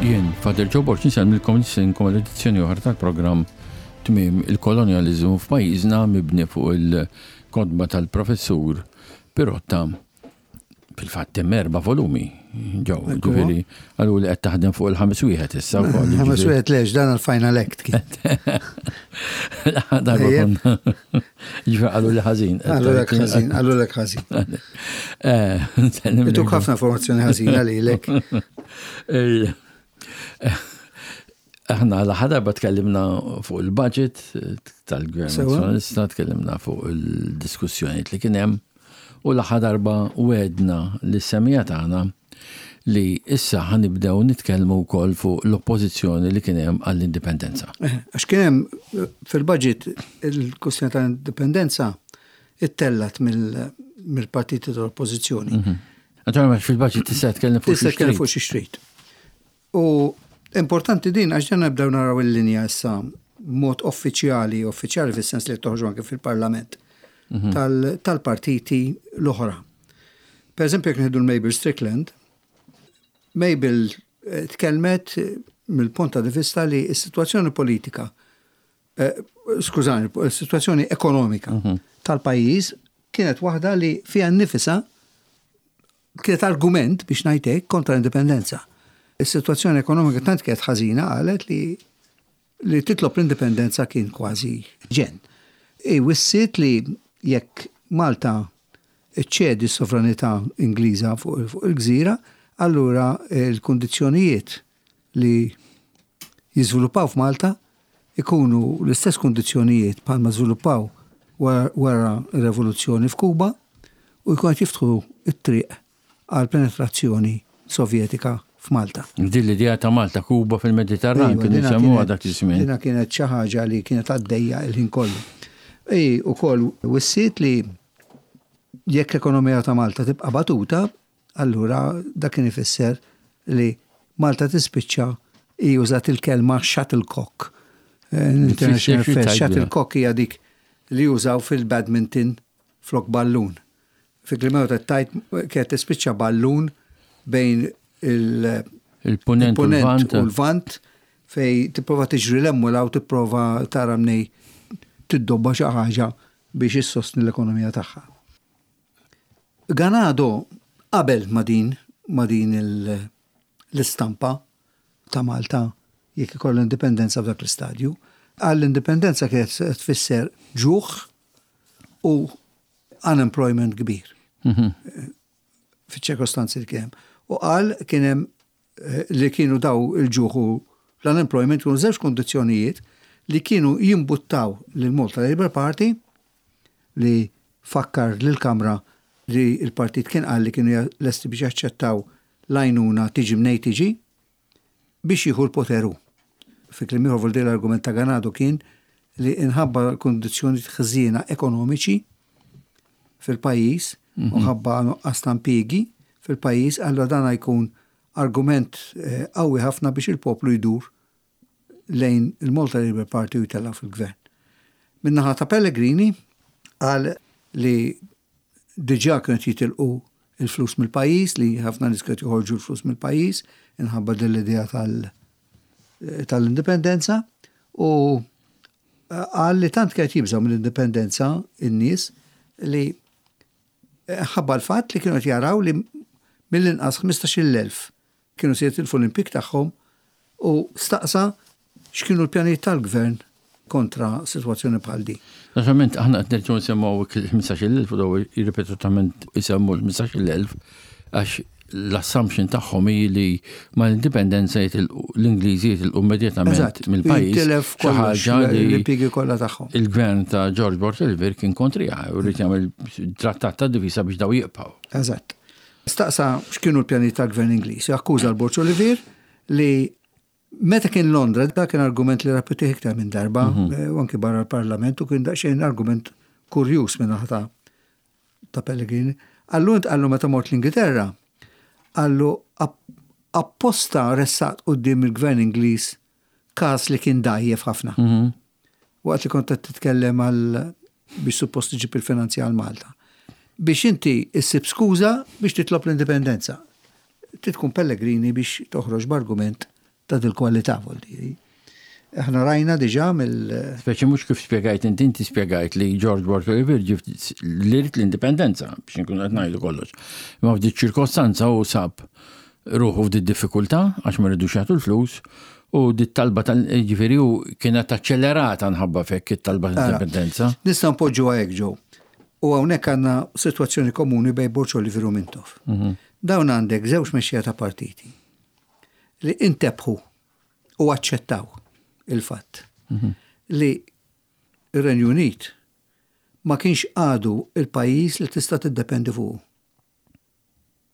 Jien, Father Joe Borg, insellmilkom nistenkom l-edizzjoni oħra tal-programm Tmiem il-Kolonjaliżmu f'pajjiżna mibni fuq il-kotba tal-Professur Pirotta. Fil-fatt hemm erba' volumi ġew, ġifieri għalu li qed taħdem fuq il-ħames wieħed issa wkoll. Ħames wieħed lex dan il-final act kien. Darba konna. Ġifieri qalu li ħażin. Qalu lek ħażin, qalu lek ħażin. Eh, Ituk ħafna informazzjoni ħażina lilek. Aħna l-aħħar darba tkellimna fuq il-budget tal-Gvern Nazzjonalista, tkellimna fuq il-diskussjonijiet li kien hemm u l-aħħar darba wedna li semija tagħna li issa ħanibdew nitkellmu wkoll fuq l-oppożizzjoni li kien hemm għall-indipendenza. Eh, għax kien hemm fil-budget il-kwestjoni tal-indipendenza ittellat mill-partiti tal-oppożizzjoni. Mhm. Naturalment fil-budget tista' tkellem fuq xi Tista' fuq xi xtrid. U importanti din għax dan nibdew naraw il-linja issa mod uffiċjali, uffiċjali fis-sens li toħroġ anke fil-Parlament mhm. tal-partiti l-oħra. Per eżempju, jekk nieħdu l-Mabel Strickland, Mabel eh, tkellmet mill-punt ta' vista li s-sitwazzjoni politika, eh, skużani, s-sitwazzjoni ekonomika mhm. tal-pajjiż kienet waħda li fiha nnifisha Kienet argument, biex ngħid hekk, kontra l-indipendenza. Is-sitwazzjoni ekonomika tant kienet ħażina qalet li li titlob l-indipendenza kien kważi ġenn. Hi wissiet li jekk Malta ċċedi s-sovranità Ingliża fuq il-gżira, allura l-kundizzjonijiet li jiżviluppaw f'Malta ikunu l-istess kundizzjonijiet bħalma żviluppaw wara r-revoluzzjoni f'Kuba u jkunu qed jiftħu t-triq għal penetrazzjoni Sovjetika f'Malta. Din l-idea ta' Malta, Kuba fil-Mediterran kienu jsemmuha dak iż-żmien. Dina kienet xi ħaġa li kienet għaddejja l-ħin kollu. Hi wkoll wissiet li jekk l-ekonomija ta' Malta tibqa' batuta, Allura dak kien ifisser li Malta tispiċċa hi użat il-kelma shuttlecock. International Affairs, shuttlecock hija dik li jużaw fil-badminton flok ballun. Fi kliem ieħor tajt kienet tispiċċa ballun bejn il-punent u l-vant fej tipprova tiġri l-hemm u l tipprova tara mnej tiddobba xi ħaġa biex issostni l-ekonomija tagħha. Ganado qabel ma' din ma' din l-istampa ta' Malta jekk ikollha indipendenza f'dak l-istadju. Qal l-indipendenza kienet se tfisser ġuħ u unemployment kbir. Mhm. Fiċ-ċirkostanzi li kien hemm. U qal kien hemm eh, li kienu daw il-ġuħ u l-unemployment kienu żewġ kondizzjonijiet li kienu jimbuttaw lil Malta Labour Party li fakkar lill-Kamra li l-partit kien qal li kienu lesti biex jaċċettaw l-għajnuna tiġi mnejn tiġi biex jieħu l-poter hu. Fi kliem ieħor vuol dire l-argument ta' Ganado kien li inħabba l-kundizzjonijiet ħżiena ekonomiċi fil-pajjiż u mhm. ħabba nuqqas ta' impjiegi fil-pajjiż, allura dan jkun argument eh, qawwi ħafna biex il-poplu jdur lejn il-Malta Labour Party u jtellgħu fil-gvern. Min-naħa ta' Pellegrini qal li diġà kienu qed jitilqu l-flus mill-pajjiż, li ħafna nies kienu qed joħorġu l-flus mill-pajjiż inħabba din l-idea tal-indipendenza u qal li tant kienet jibżgħu mill-indipendenza in-nies li ħabba l-fatt li kienu qed jaraw li mill-inqas 15,000 kienu se jitilfu l-impjieg tagħhom u staqsa x'kienu l-pjanijiet tal-Gvern kontra sitwazzjoni bħal din. Naturalment aħna qed nerġgħu nsemgħu il-15,000 u daw ripetutament isemmu l-15,000 għax l-assumption tagħhom hi li mal-indipendenza jitilqu l-Ingliżi jitilqu immedjatament mill-pajjiż. Tilef Xi ħaġa li l-impjiegi kollha tagħhom. Il-gvern ta' George Borg Olivier kien kontriha u rrid jagħmel trattat ta' divisa biex daw jibqgħu. Eżatt. Staqsa x'kienu l-pjanijiet tal-Gvern Ingliż. Akkuża l-Borg Olivier li meta kien Londra, dak kien argument li rrepetih iktar minn darba, mhm. eh, u anki barra l-Parlament, u kien daqsxejn argument kurjuż minn ta' ta' Pellegrini. Allu int qallu meta mort l-Ingilterra, qallu apposta ressaqt quddiem il-Gvern Ingliż każ li kien dgħajjef ħafna. Mhm. Waqt li kont qed titkellem għal biex suppost iġib il-finanzi għal Malta. Biex inti issib skuża biex titlob l-indipendenza. Trid tkun Pellegrini biex toħroġ b'argument ta' dil-kwalità vuol Aħna rajna diġà mill. Speċi mhux kif spjegajt inti, inti spjegajt li George Borg Olivier ġie li jrid l-indipendenza biex inkunu qed ngħidu kollox. Imma f'dik ċirkostanza hu sab ruħu f'dik diffikultà għax ma ridux jagħtu l-flus u dit talba tal ġifieri hu kienet aċċelerata nħabba f'hekk it-talba tal-indipendenza. Nistgħu npoġġuha hekk Joe. U hawnhekk għandna sitwazzjoni komuni bejn Borg Olivier u Mintoff. Dawn għandek żewġ mexxejja ta' partiti li intebħu u aċċettaw il-fatt li r-Renju Unit ma kienx għadu il-pajjiż li tista' tiddependi fuqu.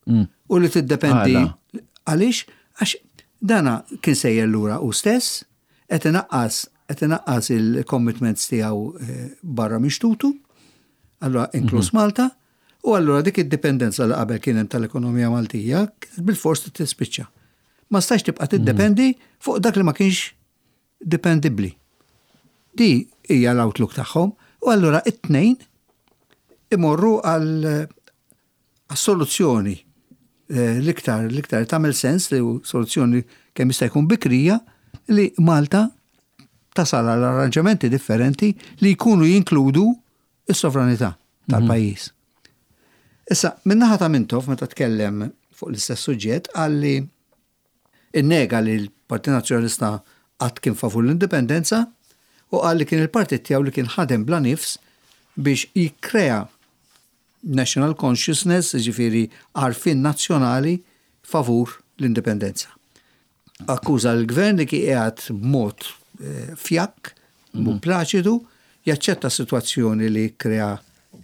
U li tiddependi għaliex għax dana kien sejjer lura u stess qed inaqqas qed inaqqas il-commitments tiegħu eh, barra minn xtutu, allura inkluż mhm. Malta, u allura dik id-dipendenza li qabel kien hemm tal-ekonomija Maltija bil-fors tispiċċa. Ma stax tibqa' tiddependi fuq dak li ma kienx dipendibbli. Di hija l-outlook tagħhom u allura it-tnejn imorru għal soluzzjoni eh, l-iktar l-iktar tagħmel sens li soluzzjoni kemm jista' jkun bikrija li Malta tasal għal arranġamenti differenti li jkunu jinkludu is-sovranità tal-pajjiż. Issa, min-naħa ta' Mintoff meta tkellem fuq l-istess suġġett qal li innega li l-Partit Nazzjonalista qatt kien favur l-indipendenza u qal li kien il-partit tiegħu li kien ħadem bla nifs biex jikkrea national consciousness, jiġifieri għarfien nazzjonali favur l-indipendenza. Akkuża l-gvern li kien qiegħed b'mod eh, fjakk, b'mod mhm. plaċidu, jaċċetta s-sitwazzjoni li krea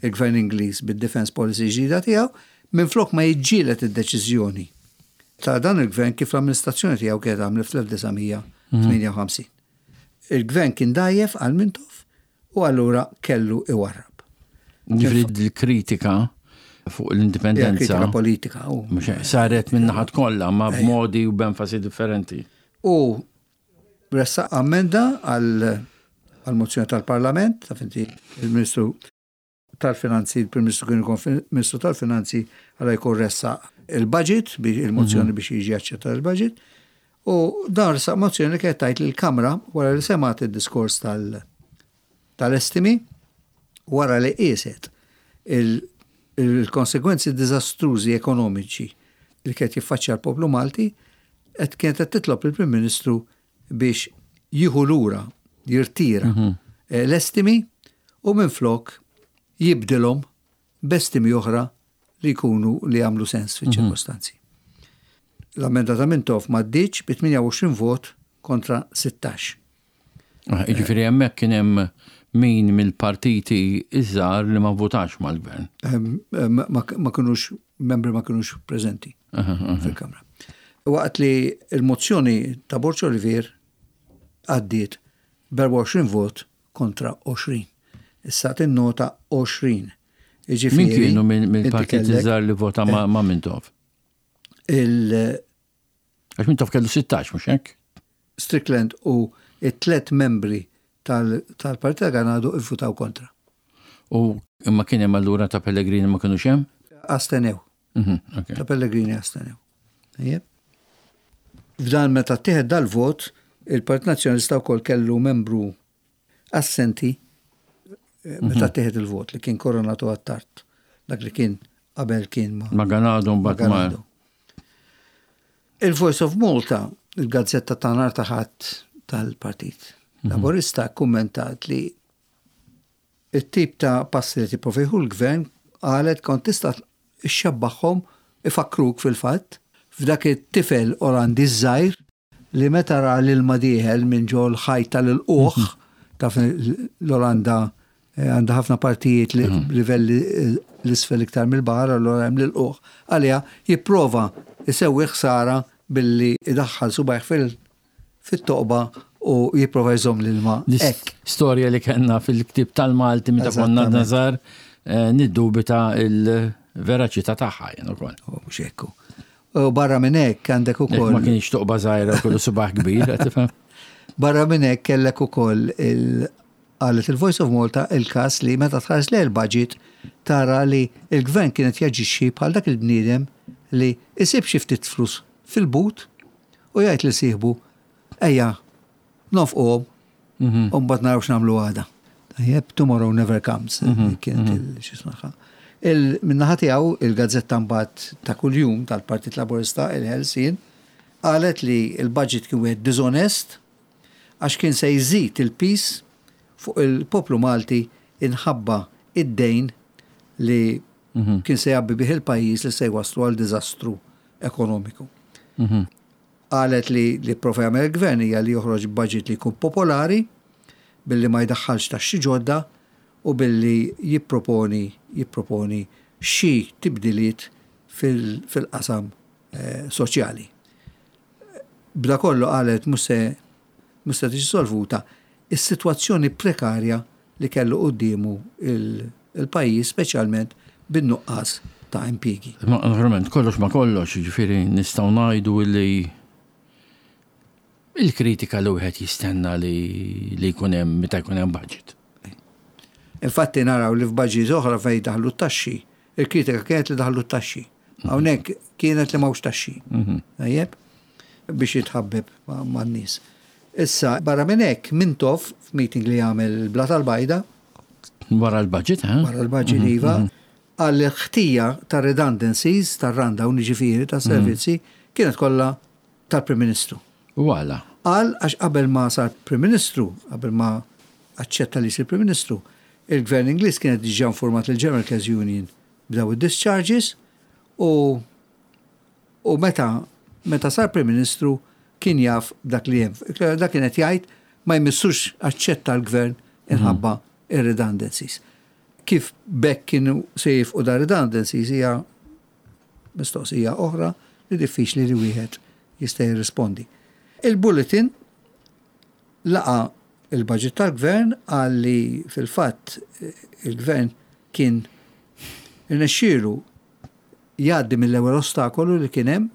il-gvern Ingliż bid-defense policy ġdida tiegħu, minflok ma jiġġieled id-deċiżjoni ta' dan il-gvern kif l-amministrazzjoni tiegħu kienet għamlet fl-1958. Mhm. Il-gvern kien dajjef għal Mintoff u allura kellu iwarrab. Ġifieri l-kritika fuq l-indipendenza. Kritika politika. Saret minn naħat kollha ma b'modi u b'enfasi differenti. U ressaq ammenda għal mozzjoni tal-Parlament, ta' finti il-Ministru tal-Finanzi, il-Prim Ministru kien ikun Ministru tal-Finanzi għala jkun ressaq il-budget, il-mozzjoni mhm. biex jiġi aċċettat il-budget. U dan ressaq mozzjoni li kienet tgħid li l-Kamra wara li semgħet id-diskors tal- tal-estimi, wara li qieset il-konsegwenzi diżastrużi ekonomiċi li kienet jiffaċċja l-poplu Malti, qed kienet qed titlob il-Prim Ministru biex jieħu lura, jirtira mhm. eh, l-estimi u minflok jibdilhom b'estimi oħra li jkunu li jagħmlu sens fiċ-ċirkostanzi. L-ammenda ta' Mintoff m'għaddietx bi 28 vot kontra 16. Ah, jiġifieri hemmhekk kien hemm min mill-partiti iż-żgħar li ma votax mal-gvern. Ma kinux membri ma kinux preżenti fil-Kamra. Waqt li l-mozzjoni ta' Borg Olivier għaddiet b'24 vot kontra 20. Issa tinnota 20. Jiġifieri. Min kienu mill-partit iż-żgħar li vota ma' eh. Mintoff? Il Għax Mintoff kellu 16, mhux hekk? Strickland u it-tlet membri tal-Partit ta' Ganado ivvutaw kontra. U imma kien hemm allura ta' Pellegrini ma kinux hemm? Astenew. Mhm, ta' Pellegrini astenew. F'dan meta ttieħed dal-vot, il-Partit Nazzjonalista wkoll kellu membru assenti eh, meta mhm. ttieħed il-vot li kien Koronatu Attard, dak li kien qabel kien ma' Ma' Ganado mbagħad ma' Il-Voice of Malta, il-gazzetta ta' nhar ta' Ħadd tal-Partit mhm. Laburista, kummentat li it-tip ta' passi li tipprova jieħu l-gvern qalet kont tista' xxabbaħhom ifakruk fil-fatt f'dak it-tifel Olandiż żgħir li meta ra l-ilma dieħel minn ġo l-ħajt tal-ilqugħ, taf l-Olanda eh, għandha ħafna partijiet li mhm. livelli eh, l-isfel iktar mill-baħar, allura hemm l-ilqugħ għaliha jipprova jsewwi ħsara billi idaħħal subajh fil fit-toqba u jipprova jżomm l-ilma hekk. Storja li kellna fil-ktieb tal-Malti meta konna żgħar eh, niddubita il-veraċità tagħha jien ukoll. Oh, mhux hekk. U barra minn hekk għandek ukoll. Ma kienx toqba żgħira kollu subaħ kbir, tifhem. Barra minn hekk kellek ukoll il qalet il-Voice of Malta il-każ li meta tħares lejn il-budget tara li l-gvern kien qed jaġixxi bħal dak il-bniedem li isib xi ftit flus fil-but u jgħid lil sieħbu. Ejja, nofquhom u mbagħad naraw x'nagħmlu għada. Tajjeb, tomorrow never comes, kienet il-xismaħa. Min-naħa tiegħu il-gazzetta mbagħad ta' kuljum tal-Partit Laburista, il-Ħelsien, qalet li l-budget kien wieħed diżonest għax kien se jżid il-piż fuq il-poplu Malti inħabba id-dejn li kien se jgħabbi bih il-pajjiż li se jwasslu għal diżastru ekonomiku. Qalet li li pprova jagħmel il-Gvern hija li joħroġ budget li jkun popolari billi ma jdaħħalx taxxi ġodda u billi jipproponi jipproponi xi tibdiliet fil-qasam soċjali. B'da kollu qalet mhux se mhux se tiġi solvuta is-sitwazzjoni prekarja li kellu quddiemu il-pajjiż speċjalment bin-nuqqas ta' impjiegi. Imma naturalment kollox ma' kollox, jiġifieri nistgħu ngħidu li il-kritika li wieħed jistenna li li jkun hemm meta jkun hemm budget. Infatti naraw li f'budgets oħra fejn daħlu t-taxxi, il-kritika kienet li daħlu t-taxxi. Hawnhekk kienet li m'hawnx taxxi. Tajjeb? Biex jitħabbeb man-nies. Issa, barra minn hekk, Mintoff, f'meeting li għamel il-Bla tal-Bajda. Wara l-budget, eh? Wara l-budget, iva. Qal li l-ħtija ta' redundancies, tar-rundown, jiġifieri, tas-servizzi, kienet kollha tal-Prim Ministru. U għala? Qal għax qabel ma sar Prim Ministru, qabel ma aċċetta li jsir Prim Ministru, il-Gvern Ingliż kienet diġà informat lill-General Workers Union b'daw id-discharges u U meta meta sar Prim Ministru kien jaf b'dak li hemm. Dak kien qed jgħid ma jmissux aċċetta l-Gvern inħabba ir-redundancies. Kif b'hekk kienu se jifqu da redundancies hija mistoqsija oħra li diffiċli li wieħed jista' jirrispondi. Il-Bulletin laqa' il-budget tal-Gvern qal li fil-fatt il-Gvern kien irnexxielu jgħaddi mill-ewwel ostakolu li kien hemm,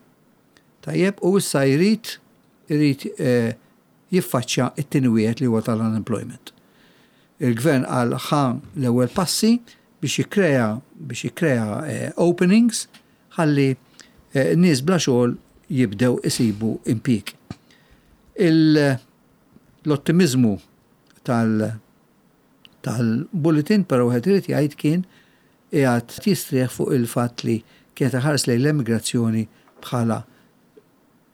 tajjeb, u issa jrid irid jiffaċċja t-tieni wieħed li huwa tal-unemployment. Il-Gvern qal ħa l-ewwel passi biex jikkrea biex jikkrea openings ħalli nies bla xogħol jibdew isibu impjieg. L-ottimiżmu tal tal-bulletin però wieħed irid jgħid kien qiegħed jistrieħ fuq il-fatt li kienet iħares lejn l-emigrazzjoni bħala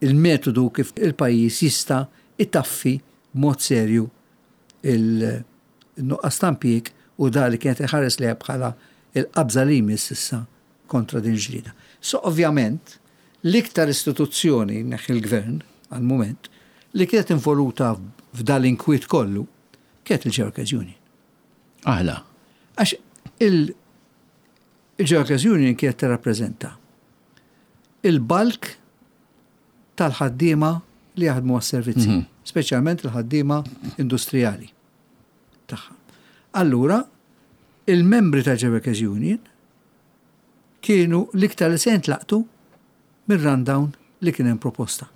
il-metodu kif il-pajjiż jista' itaffi b'mod serju il-nuqqas ta' impjieg u da li kienet iħares lejha bħala il-qabża li jmiss issa kontra din il-ġlieda. So ovvjament l-iktar istituzzjoni, neħħi l-Gvern għall-mument, li kienet involuta f'dal-inkwiet kollu kienet il-Workers Union. Għala? Għax il-Workers Union kienet tirrappreżenta il-bulk tal-ħaddiema li jaħdmu għas-servizzi, speċjalment il-ħaddiema industrijali tagħha. Allura, il-membri tal-Workers Union kienu l-iktar li se jintlaqtu mir-rundown li kien hemm proposta.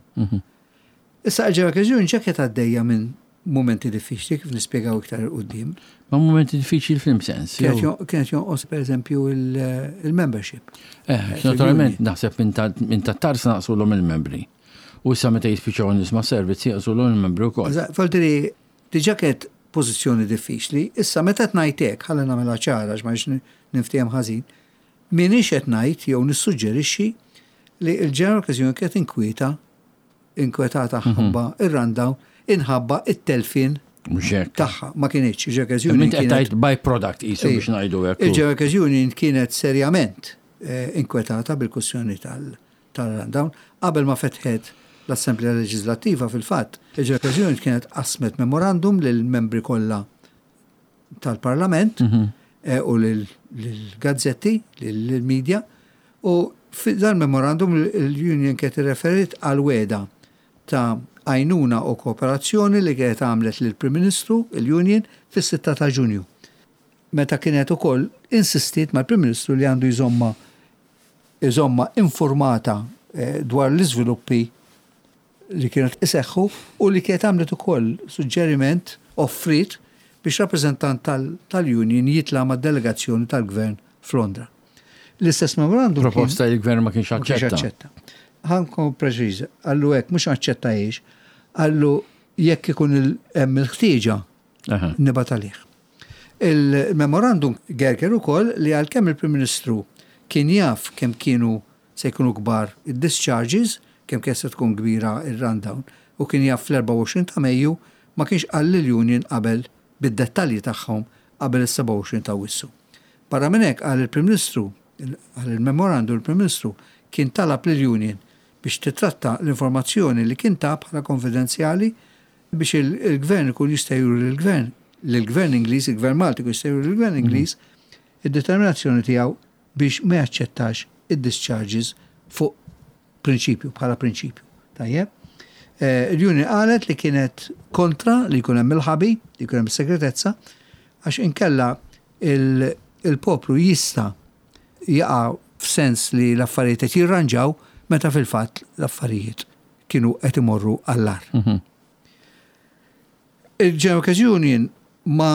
Issa il-Workers Union ġa kienet għaddejja minn mumenti diffiċli kif nispjegaw iktar 'il quddiem. Ma mumenti diffiċli f'liem sens? Kienet jonqos pereżempju il-membership. Eh, naturalment naħseb minn ta' tars naqsulhom il-membri. U issa meta jispiċċaw nies ma' servizzi jaqsulhom il-membri wkoll. Faltiri, diġà kienet pożizzjoni diffiċli, issa meta qed ngħid hekk, ħalli nagħmilha ċara għax ma rridx ninftiehem ħażin, m'iniex qed ngħid jew nissuġġerixxi li l-General Workers Union kienet inkwieta inkwetata ħabba ir-rundown inħabba it-telfien tagħha. Ma kinitx, il-Workers Union. Kienet tgħid by-product qisu biex ngħidu hekk. Il-Workers Union kienet serjament inkwetata bil-kwistjoni tal-rundown. Qabel ma fetħet l-Assemblea Leġislattiva fil-fatt, il-Workers Union kienet qasmet memorandum lill-membri kollha tal-Parlament u lill-gazzetti, lill-media, u f'dan memorandum l-Union kienet irreferiet għal wegħda ta' għajnuna u kooperazzjoni li kienet għamlet lill-Prim Ministru, il-Union, fis-6 ta' Ġunju. Meta kienet ukoll insistiet mal-Prim Ministru li għandu jżommha iżommha informata dwar l-iżviluppi li kienu qed iseħħu u li kienet għamlet ukoll suġġeriment, offriet, biex rappreżentant tal-union jitla' mad-delegazzjoni tal-Gvern f'Londra. L-istess memorandum. Proposta li l-Gvern ma kienx aċċetta. Ħa nkun preċiż, qallu hekk mhux aċċettajiex. Qallu jekk ikun hemm il-ħtieġa nibgħat għalih. Il-memorandum gerger ukoll li għalkemm il-Prim Ministru kien jaf kemm kienu se jkunu kbar id-discharges, kemm kienet se tkun kbira r-rundown, u kien jaf fl-24 ta' Mejju, ma kienx qal lill-union qabel bid-dettalji tagħhom qabel is-27 ta' Awwissu. Barra minn hekk, qal il-Prim Ministru, qal il-memorandum, il-Prim Ministru kien talab lill-union biex titratta l-informazzjoni li kien ta bħala konfidenzjali biex il-Gvern ikun jista' juri lill-Gvern, lill-Gvern Ingliż, il-Gvern Malti jkun jista' juri lill-Gvern Ingliż id-determinazzjoni tiegħu biex ma jaċċettax id-discharges fuq prinċipju, bħala prinċipju. Tajjeb? Il-Union qalet li kienet kontra li jkun hemm il-ħabi, li jkun hemm is-segretezza, għax inkella il-poplu jista' jaqa' f'sens li l-affarijiet qed jirranġaw meta fil-fatt l-affarijiet kienu qed imorru għall-agħar. Il-General Workers Union ma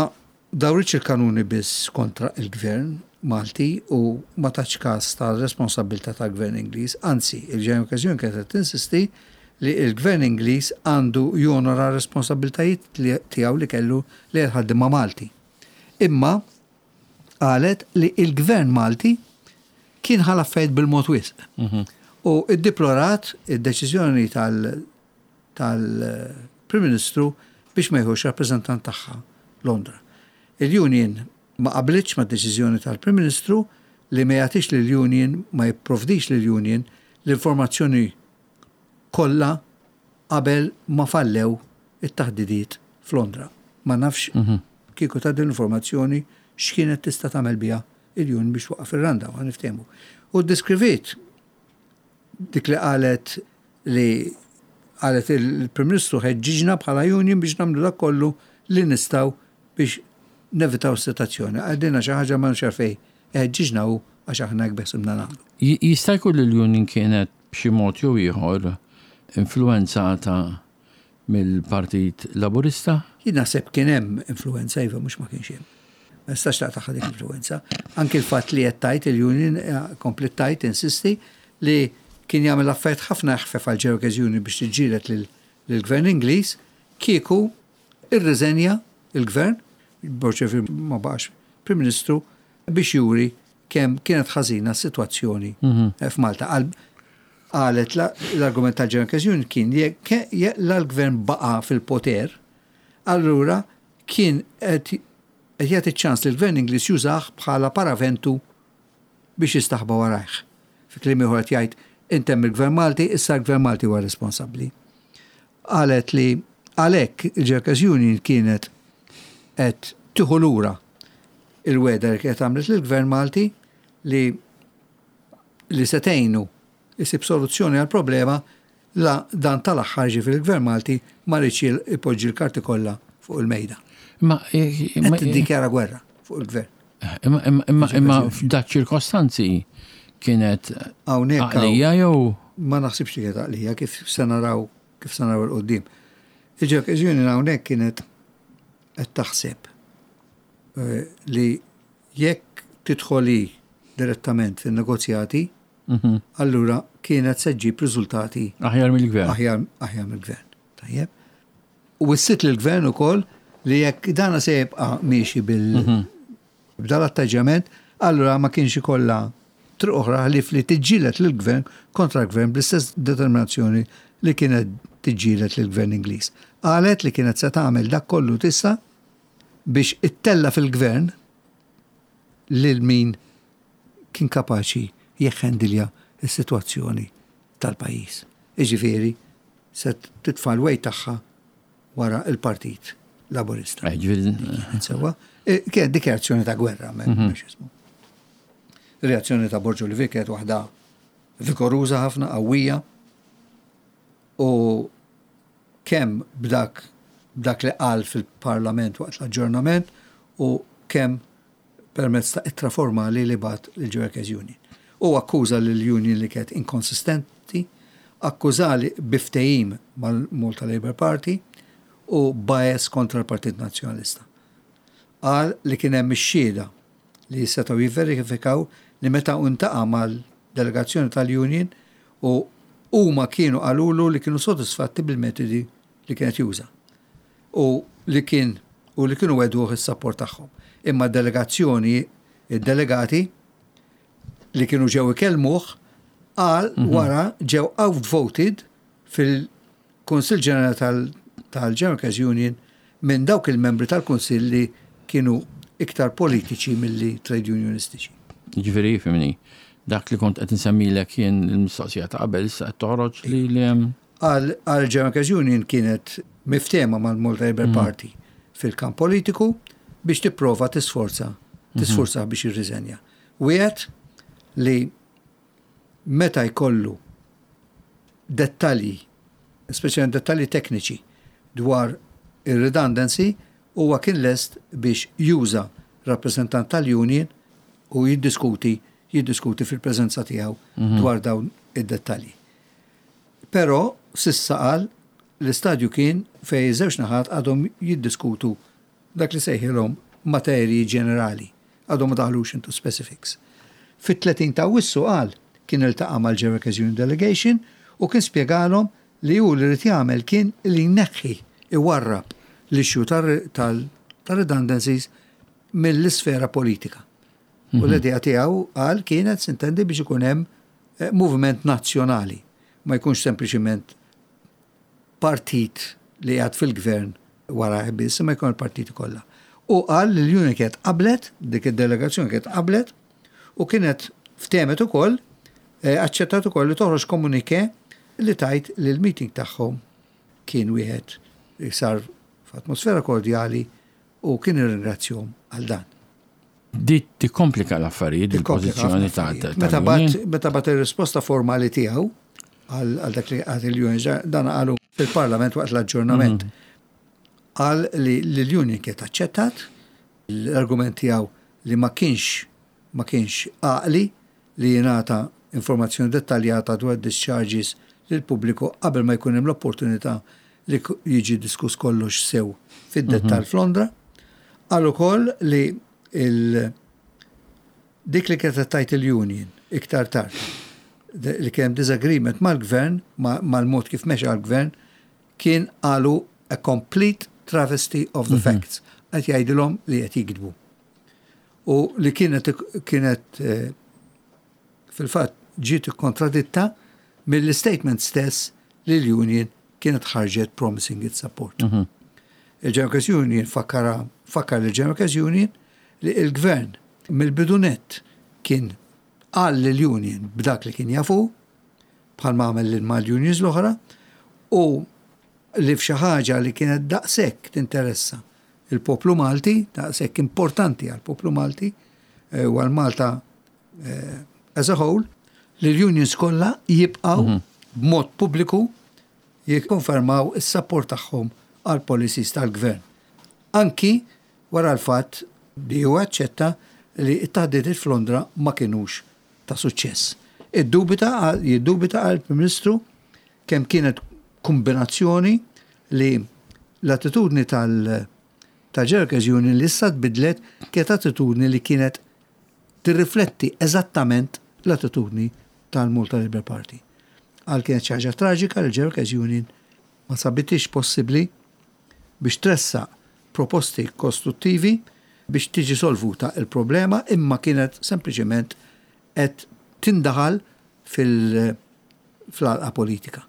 dawritx il-kanuni biss kontra il-Gvern Malti u ma tatx każ tar-responsabbiltà tal-Gvern Ingliż, anzi, il-General Workers Union kienet qed tinsisti li l-Gvern Ingliż għandu jonora r-responsabbiltajiet tiegħu li kellu lejn il-ħaddiema Malti. Imma qalet li l-Gvern Malti kien ħa l-affarijiet bil-mod wisq. U iddeplorat id-deċiżjoni tal-Prim Ministru biex ma jieħux rappreżentant tagħha Londra. Il-Union ma qablitx mad-deċiżjoni tal-Prim Ministru li ma jagħtix lill-Union, ma jipprovdix lill-Union l-informazzjoni kollha qabel ma fallew it-taħdidiet f'Londra. Ma nafx kieku ta din l-informazzjoni x'kienet tista' tagħmel biha il-Union biex twaqqaf ir-rundown, ħa niftehmu. U ddeskriviet dik li qalet li qalet il-Prim Ministru ħeġġiġna bħala union biex nagħmlu dak kollu li nistgħu biex nevitaw s-sitwazzjoni. Qalilna xi ħaġa ma nafx għalfejn iħeġġiġna hu għax aħna hekk beħsibna nagħmlu. Jista' jkun li l-union kienet b'xi mod jew ieħor influwenzata mill-Partit Laburista? Jien naħseb kien hemm influwenza, iva mhux ma kienx hemm. Ma nistax taqtagħha dik l-influwenza. Anki l-fatt li qed tgħid il-union kompliet tgħid, insisti, li kien jagħmel affarijiet ħafna eħfef għal Workers Union biex tiġġieled lill-Gvern Ingliż kieku irriżenja l-Gvern, Borg ma baqax Prim Ministru, biex juri kemm kienet ħażina s-sitwazzjoni f'Malta. Qalet l-argument tal-General Workers Union kien jekk la l-Gvern baqa' fil-poter, allura kien qed jagħti ċ-ċans lill-Gvern Ingliż jużah bħala paraventu biex jistaħba warajh. Fi kliem ieħor qed jgħid intemm il-Gvern Malti, issa l-Gvern Malti huwa responsabbli. Qalet li għalhekk il-General Workers Union kienet qed tieħu lura il-wegħda li kienet għamlet lill-Gvern Malti li li se tgħinu jsib soluzzjoni għall-problema la dan tal-aħħar ġifieri l-Gvern Malti ma riedx ipoġġi l-karti kollha fuq il-mejda. Imma Qed tiddikjara gwerra fuq il-Gvern. Imma imma imma f'dak ċirkostanzi kienet għaqlija jew? Ma naħsibx li kienet għaqlija kif se naraw kif se naraw il-qudiem. Il-Workers Union hawnhekk kienet qed taħseb li jekk tidħol hi direttament fin-negozjati, allura kienet se ġġib riżultati aħjar mill-gvern. Aħjar aħjar mill-gvern. Tajjeb. U wissiet lill-gvern ukoll li jekk dana se jibqa' miexi bil b'dal atteġġjament, allura ma kienx ikollha triq oħra ħlief li tiġġieled lill-gvern kontra l-gvern bl-istess determinazzjoni li kienet tiġġieled lill-gvern Ingliż. Qalet li kienet se tagħmel dak kollu tista' biex ittella' fil-gvern lil min kien kapaċi jeħħendilja s-sitwazzjoni tal-pajjiż. Jiġifieri se titfa' l-weight tagħha wara l-Partit Laburista. Sewwa, kienet dikjarazzjoni ta' gwerra, mhux ismu. Reazzjoni ta' Borg Olivier kienet waħda vigoruża ħafna, qawwija, u kemm b'dak b'dak li qal fil-Parlament waqt l-aġġornament u kemm permezz ta' ittra formali li bagħat lill-Workers Union. Hu akkuża lill-union li kienet inkonsistenti, akkuża li bi ftehim mal-Malta Labour Party u bias kontra l-Partit Nazzjonalista. Qal li kien hemm ix-xhieda li setgħu jivverifikaw li meta hu ntaqa' mal-delegazzjoni tal-union u huma kienu qalulu li kienu sodisfatti bil-metodi. li kienet juża. U li kien u li kienu wegħduh is-sapport tagħhom. Imma d-delegazzjoni, id-delegati li kienu ġew ikellmuh qal wara ġew outvoted fil-Kunsill Ġenerali tal-General Workers Union minn dawk il-membri tal-Kunsill li kienu iktar politiċi milli trade unionistiċi. Jiġifieri, fhimni, dak li kont qed insemmilek jien il-mistoqsija ta' qabel issa qed toħroġ li li hemm. Għal General Workers Union kienet miftehma mal-Malta Labour Party fil-kamp politiku biex tipprova tisforza tisfurzah biex jirriżenja. Wiegħed li meta jkollu dettalji, speċjalment dettalji tekniċi dwar ir-redundancy, huwa kien lest biex juża rappreżentant tal-union u jiddiskuti jiddiskuti fil-preżenza tiegħu dwar dawn id-dettalji. Però s'issa qal l-istadju kien fejn iż-żewġ naħat għadhom jiddiskutu dak li sejħilhom materji ġenerali, għadhom ma daħlux into specifics. Fit-30 ta' Awwissu qal kien iltaqa' mal-General Workers Union Delegation u kien spjegalhom li hu li ried jagħmel kien li jneħħi, iwarrab l-issue tar-redundancies mill-isfera politika. U l-idea tiegħu qal kienet sintendi biex ikun hemm moviment nazzjonali, ma jkunx sempliċiment partit li qiegħed fil-gvern warajh biss, imma jkun il-partiti kollha. U qal li l-Union kienet qablet, dik id-delegazzjoni kienet qablet, u kienet ftehmet ukoll, aċċettat ukoll li toħroġ communiqué li tgħid li l-meeting tagħhom kien wieħed li sar f'atmosfera kordjali u kien irringrazzjahom għal dan. Di tikkomplika l-affarijiet, il-pożizzjoni ta' Meta bat meta bat ir-risposta formali tiegħu għal dak li qal il-union, dan qalu fil-Parlament waqt l-aġġornament. Qal li l-union kienet aċċettat l-argument tiegħu li ma kienx ma kienx għaqli li jingħata informazzjoni dettaljata dwar discharges lill-pubbliku qabel ma jkun hemm l-opportunità li jiġi diskuss kollox sew fid-dettall f'Londra. Qal ukoll li il dik li kienet tgħid il-union iktar tard li kien hemm disagreement mal-gvern, mal-mod kif mexa l-gvern, kien qalu a complete travesty of the facts. Qed jgħidilhom li qed jigdbu. U li kienet kienet fil-fatt ġiet ikkontraditta mill-statement stess li l-union kienet ħarġet promising its support. Il-General Workers Union fakkara fakkar il-General Workers Union li il-gvern mill-bidu nett kien qal lill-union b'dak li kien jafu bħal ma għamel mal-unions l-oħra u li f'xi ħaġa li kienet daqshekk tinteressa il-poplu Malti, daqshekk importanti għall-poplu Malti u għal Malta as a whole, li l-unions kollha jibqgħu b'mod pubbliku jikkonfermaw is-sapport tagħhom għal policies tal-gvern. Anki wara l-fatt li huwa aċċetta li t-taħdidiet f'Londra ma kinux ta' suċċess. Iddubita jiddubita għal Prim Ministru kemm kienet kombinazzjoni li l-attitudni tal tal-General Workers Union li issa tbidlet kienet attitudni li kienet tirrifletti eżattament l-attitudni tal-Malta Labour Party. Għal kienet xi ħaġa traġika li l-General Workers Union ma sabitix possibbli biex tressaq proposti kostruttivi biex tiġi solvuta il-problema imma kienet sempliċement qed tindaħal fil-għalqa politika.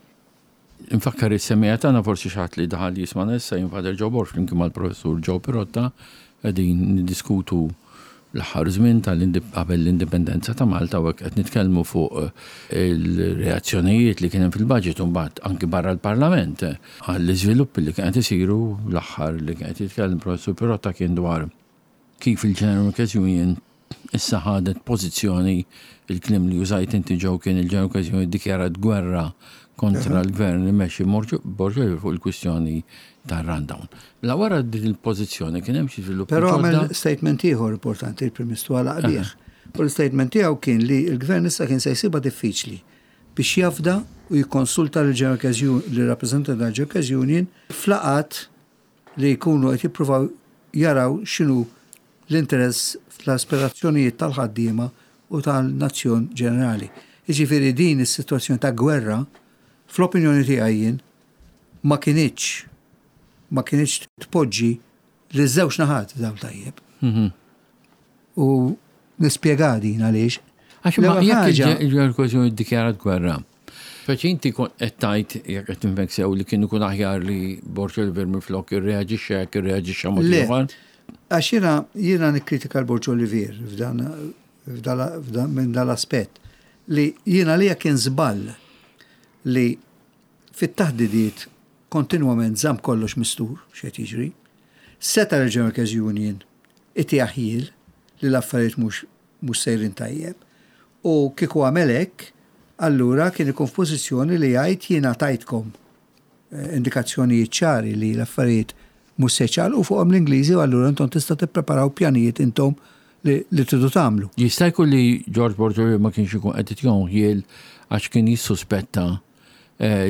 Infakkar is-semmiegħa tagħna forsi xi ħadd li daħal jismagħna issa jien Father Joe Borg flimkien mal-Professur Joe Pirotta qegħdin niddiskutu l-aħħar żmien qabel l-indipendenza ta' Malta u hekk qed nitkellmu fuq il-reazzjonijiet li kien hemm fil-budget u mbagħad anki barra l-Parlament għall-iżviluppi li kien qed isiru l-aħħar li kien qed jitkellem Professur Pirotta kien dwar kif il-General Workers Union issa ħadet pożizzjoni, il-kliem li użajt inti Joe kien il-General Workers Union iddikjarat gwerra kontra l-gvern imexxi Borg Olivier fuq il-kwistjoni tar-rundown. Mela wara din il-pożizzjoni kien hemm xi żviluppi Però għamel statement ieħor importanti il-Prim Ministru għalaq bih. U l-statement tiegħu kien li l-gvern issa kien se jsibha diffiċli biex jafda u jikkonsulta lill-General Workers Union, lir-rappreżentanti tal-General Workers Union f'laqgħat li jkunu qed jippruvaw jaraw x'inhu l-interess fl-aspirazzjonijiet tal-ħaddiema u tal-nazzjon ġenerali. Jiġifieri din is-sitwazzjoni ta' gwerra, fl-opinjoni tiegħi jien, Ma kinitx ma kinitx tpoġġi liż-żewġ naħat f'dawl tajjeb. U nispjega din għaliex. Għax ma jekk il-Ġerkozjoni ddikjarat gwerra. Speċi inti kont qed tgħid jekk qed nifhmek sew li kien ikun aħjar li Borg Olivier minflok irreaġixxa jekk irreaġixxa mod ieħor. Għax jiena jiena nikkritika l-Borg Olivier f'dan minn dal-aspett li jiena li kien żball li fit-taħdidiet kontinwament żamm kollox mistur x'qed jiġri. Seta' l-General Workers Union itih ħjiel li l-affarijiet mhux mhux sejrin tajjeb. U kieku għamel hekk, allura kien ikun f'pożizzjoni li jgħid jiena tajtkom indikazzjonijiet ċari li l-affarijiet mhux se jċaqalqu fuqhom l-Ingliżi u allura intom tistgħu tippreparaw pjanijiet intom li, li tridu tagħmlu. Jista' jkun li George Borg Olivier ma kienx ikun qed itihom ħjiel għax kien jissuspetta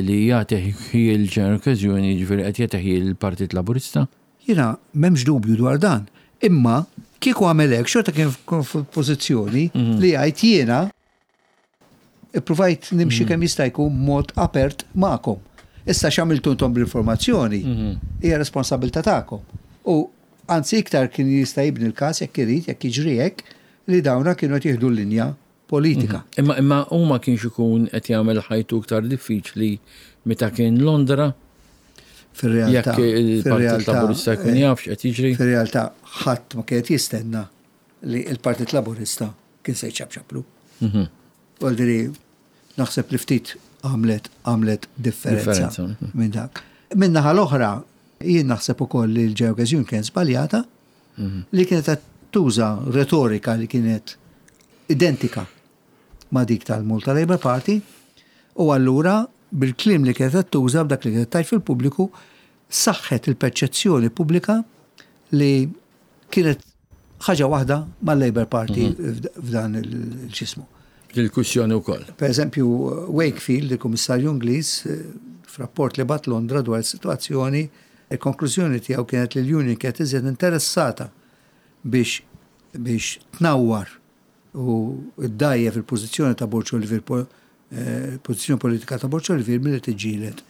li jagħti ħjiel General Workers Union jiġifieri qed jagħti ħjiel il-Partit Laburista? Jiena m'hemmx dubju dwar dan. Imma kieku għamel hekk xorta kien f'pożizzjoni li jgħid jiena ippruvajt nimxi kemm jista' jkun b'mod apert magħkom. Issa x'għamiltu intom bl-informazzjoni hija responsabilità tagħkom. U anzi iktar kien jista' jibni l-każ jekk irid, jekk jiġri hekk, li dawna kienu qed jieħdu l-linja politika. Imma imma hu ma kienx ikun qed jagħmel ħajtu iktar diffiċli meta kien Londra? Fir-realtà. Jekk il-Partit Laburista jkun jaf x'qed jiġri. Fir-realtà ħadd ma kien qed jistenna li l-Partit Laburista kien se jċapċaplu. Għaldiri, naħseb li ftit għamlet għamlet differenza minn dak. Min-naħa l-oħra, jien naħseb ukoll li l-Ġew kien żbaljata li kienet qed tuża retorika li kienet identika ma' dik tal-Malta Labour Party u allura bil-kliem li kienet qed tuża b'dak li kienet tgħid fil-pubbliku saħħet il-perċezzjoni pubblika li kienet ħaġa waħda mal-Labour Party f'dan il-ġismu. Il-kwistjoni wkoll. Per eżempju, Wakefield, il-Kummissarju Ingliż, f'rapport li bagħat Londra dwar is-sitwazzjoni, il-konklużjoni tiegħu kienet li l-Union kienet iżjed interessata biex biex tnawwar u ddgħajjef il-pożizzjoni ta' Borg Olivier, pożizzjoni politika ta' Borg Olivier milli tiġġieled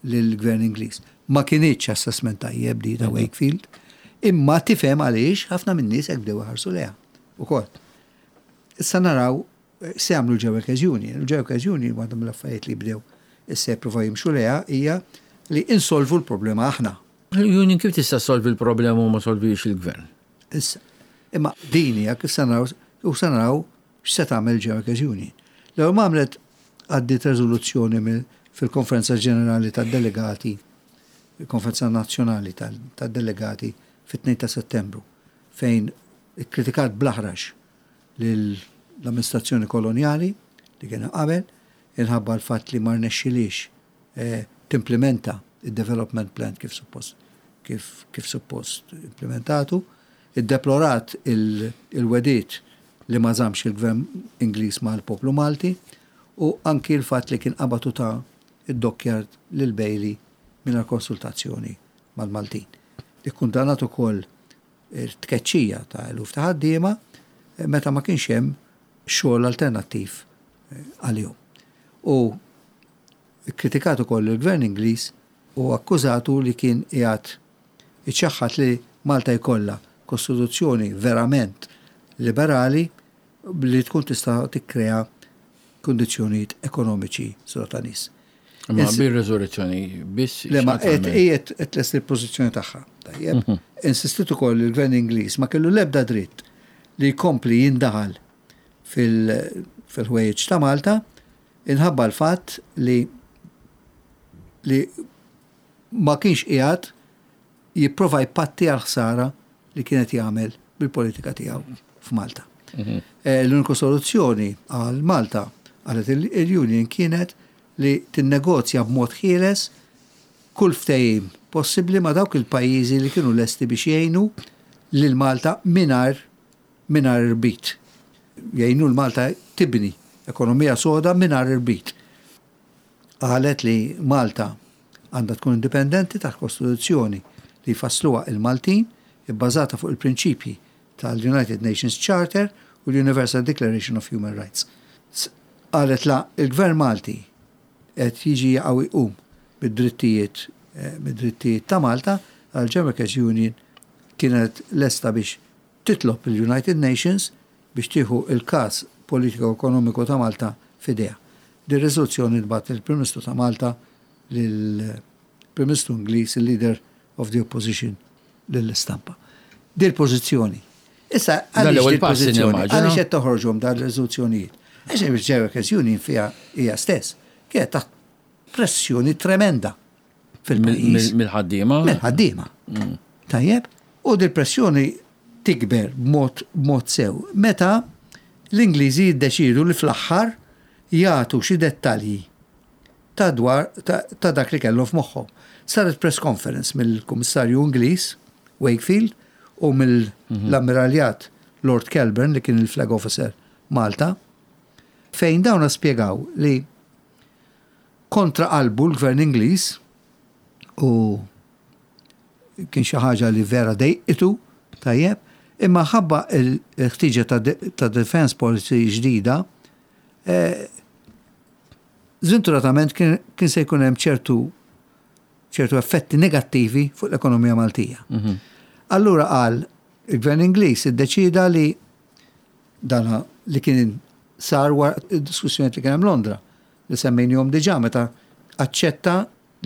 lill-Gvern Ingliż. Ma kinitx assessment tajjeb di ta' Wakefield, imma tifhem għaliex ħafna min-nies hekk bdew iħarsu lejha ukoll. Issa naraw se jagħmlu l-Ġew Workers Union. Il-Ġew Workers Union waħda mill-affarijiet li bdew issa jippruvaw jimxu lejha hija li insolvu l-problema aħna. L-union kif tista' ssolvi l-problema u ma solvix il-gvern? Issa, imma din hija kif se naraw u se naraw x'se tagħmel il-Ġew Workers Union. L-ewwel ma għamlet għaddiet reżoluzzjoni fil-Konferenza Ġenerali tad-Delegati, il-Konferenza Nazzjonali tad-Delegati fit-2 ta' Settembru fejn ikkritikat bl-aħrax lill-amministrazzjoni kolonjali li kien hemm qabel inħabba l-fatt li ma rnexxilhiex timplimenta d-development plan kif suppost kif kif suppost implimentatu, iddeplorat il-wegħdiet li ma żammx il-Gvern Ingliż mal-poplu Malti u anki l-fatt li kien qabad u ta d-dockyard lil Bailey mingħajr konsultazzjoni mal-Maltin. Ikkundannat ukoll it-tkeċċija ta' eluf ta' ħaddiema meta ma kienx hemm xogħol alternattiv għalihom. U kkritikat ukoll lill-Gvern Ingliż u akkużatu li kien qiegħed iċaħħad li Malta jkollha kostituzzjoni verament liberali li tkun tista' tikkrea kundizzjonijiet ekonomiċi soda ta' nies. Imma bir-reżurrezzjoni biss. Le ma qed qiegħed qed tlesti l-pożizzjoni tagħha. Tajjeb. Mhm. Insistit ukoll li l-Gvern Ingliż ma kellu l-ebda dritt li jkompli jindaħal fil-ħwejjeġ ta' Malta inħabba l-fatt li li ma kienx qiegħed jipprova jpatti għall-ħsara li kien qed jagħmel bil-politika tiegħu f'Malta. Mhm. Eh, l-uniku soluzzjoni għal Malta qalet il-Union kienet li tinnegozja b'mod ħieles kull ftehim possibbli ma' dawk il-pajjiżi li kienu lesti biex jgħinu lil Malta mingħajr mingħajr irbit. Jgħinu 'l Malta tibni ekonomija soda mingħajr irbit. Qalet li Malta għandha tkun indipendenti taħt Kostituzzjoni li jfassluha il-Maltin, ibbażata fuq il-prinċipji tal-United Nations Charter u l-Universal Declaration of Human Rights. Qalet la il-Gvern Malti qed jiġi jaqa' u jqum bid-drittijiet mid-drittijiet ta' Malta, għall-General Workers Union kienet lesta biex titlob lill-United Nations biex tieħu l-każ politiko-ekonomiku ta' Malta f'idejha. Din ir-riżoluzzjoni ntbagħtet lill-Prim Ministru ta' Malta, lill-Prim Ministru Ingliż, il-Leader of the Opposition, lill-istampa. Dil-pożizzjoni. Issa, għaliex dil-pożizzjoni? Għaliex qed toħroġhom dan ir-riżoluzzjonijiet? Għax il-General Workers Union fiha hija stess kienet taħt pressjoni tremenda fil-pajjiż. Mill-ħaddiema? Mill-ħaddiema. Tajjeb? U dil-pressjoni tikber b'mod sew meta l-Ingliżi jiddeċiedu li fl-aħħar jagħtu xi dettalji ta' dwar ta' dak li kellhom f'moħħhom. Saret press conference mill-Kummissarju Ingliż Wakefield u mill-Ammiraljat Lord Kelburn li kien il-Flag Officer Malta fejn dawna spjegaw li kontra qalbu l-Gvern Ingliż u kien xi ħaġa li vera dejqitu, tajjeb, imma ħabba l-ħtieġa ta' defense policy ġdida, eh, żventuratament kien se jkun hemm ċertu ċertu effetti negattivi fuq l-ekonomija Maltija. Allura qal il-Gvern Ingliż iddeċida li dana li kien sar wara diskussjoni li kien hemm Londra li semmejnihom diġà meta aċċetta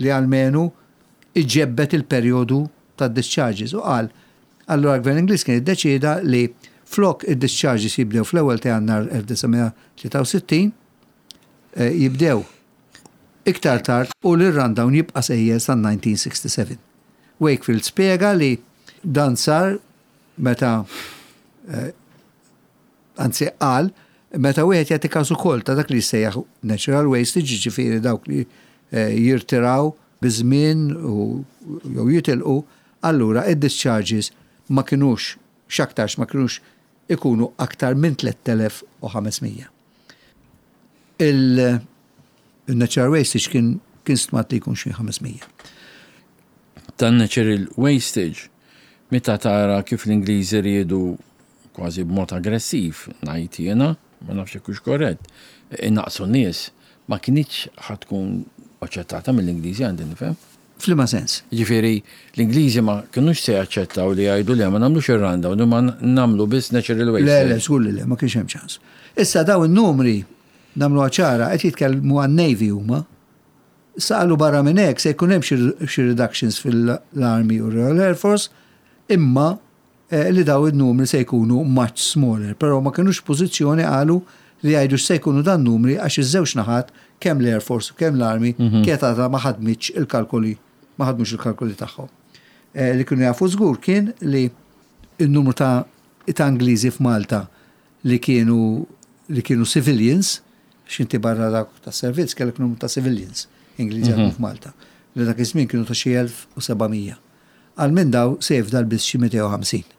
li almenu iġebbed il-perjodu tad-discharges u qal allura l-Gvern Ingliż kien iddeċieda li flok id-discharges jibdew fl-ewwel ta' Jannar 1963 jibdew iktar tard u li r-rundown jibqa' sejjer sal-1967. Wakefield spjega li dan sar meta anzi qal meta wieħed jagħti każ ukoll ta' dak li jissejjaħ natural wastage, jiġifieri dawk li jirtiraw biż-żmien u jew jitilqu, allura id-discharges ma kinux x'aktarx ma kinux ikunu aktar minn 3,500. Il-natural wastage kien kien stmat li jkun xi 500. Tan-natural wastage, meta tara kif l-Ingliżi riedu kważi b'mod aggressiv, ngħid jiena, ma nafx jekk hux korrett, inaqqsu n-nies, ma kinitx ħa tkun aċċettata mill-Ingliżi għandi nifhem. F'liema sens? Jiġifieri l-Ingliżi ma kinux se jaċċettaw li jgħidu le ma nagħmlux ir-rundown imma nagħmlu biss natural wastage. Le, le, żgur li le, ma kienx hemm ċans. Issa dawn in-numri, nagħmluha ċara, qed jitkellmu għan-Navy huma. Issa qalu barra minn hekk se jkun hemm xi reductions fil-Army u Royal Air Force, imma li dawn in-numri se jkunu much smaller, però ma kinux f'pożizzjoni qalu li jgħidu x'se jkunu dan numri għax iż-żewġ naħat kemm l-Air Force u kemm l-Army kienet għadha ma ħadmitx il-kalkoli ma ħadmux il-kalkoli tagħhom. Li kienu jafu żgur kien li n-numru ta' ta' Ingliżi f'Malta li kienu li kienu civilians, għax inti barra dak tas-servizz kellek numru ta' civilians Ingliżi jaħdmu f'Malta, li dak iż-żmien kienu ta' xi 1700. Għal minn dawn se jifdal biss xi 250.